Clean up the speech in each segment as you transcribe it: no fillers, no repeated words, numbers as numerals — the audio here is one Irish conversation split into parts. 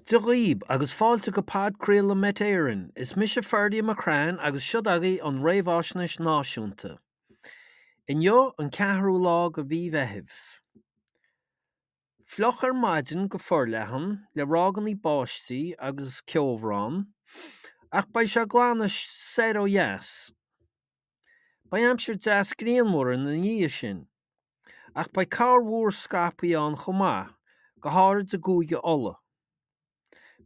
Dia dhaoib agus fáilte go podchraoladh Met Éireann. Is mise Ferdia McCrann agus seod agaibh an Réamhaisnéis Náisiúnta. Inniu an ceathrú lá de mhí Mheithimh. Fliuch ar maidin go forleathan, le ráigeanna báistí agus ceobhrán, ach beidh sé ag glanadh soir ó dheas. Beidh aimsir deas grianmhar ina dhiaidh sin, ach beidh corrmhúr scaipthe ann chomh maith, go háirid i gCúige Uladh.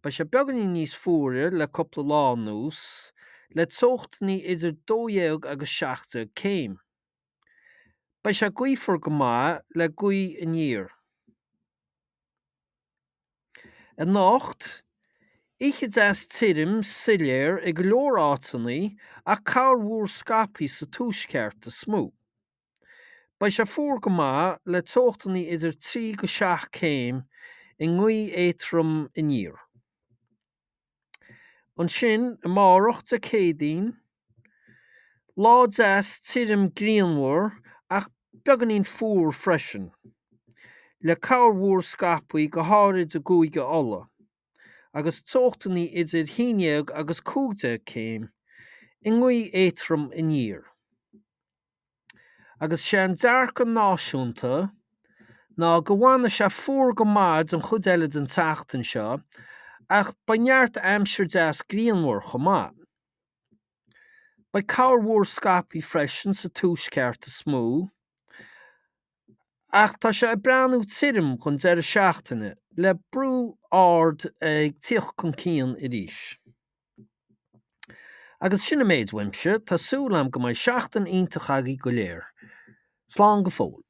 Beidh sé beagáinín níos fuaire le cúpla lá anuas, le teochtanna idir 12 agus 17 céim. Beidh sé gaofar go maith le gaoth aniar. Anocht, oíche deas tirim, soiléir i go leor áiteanna ach corrmhúr scaipthe sa tuaisceart is mó. Beidh sé fuar go maith le teochtanna idir 3-7 céim i ngaoth éadrom aniar. Ansin, amárach, Dé Céadaoin, lá deas tirim grianmhar ach beagáinín fuar freisin, le corrmhúr scaipthe go háirid i gCúige Uladh, agus teochtanna idir 11 agus 15 céim i ngaoth éadrom aniar. Agus sé an dearcadh náisiúnta ná go bhfanfaidh sé fuar go maith don chuid eile den tseachtain seo ach beidh neart aimsir deas grianmhar chomh maith. Beidh corrmhúr scaipthe freisin sa tuaisceart is mó ach tá sé ag breathnú tirim don deireadh seachtaine le brú ard ag tíocht chun cinn arís. Agus sin an méid uaimse, tá súil agam go mbeidh seachtain iontach agaibh go léir. Slán go fóill.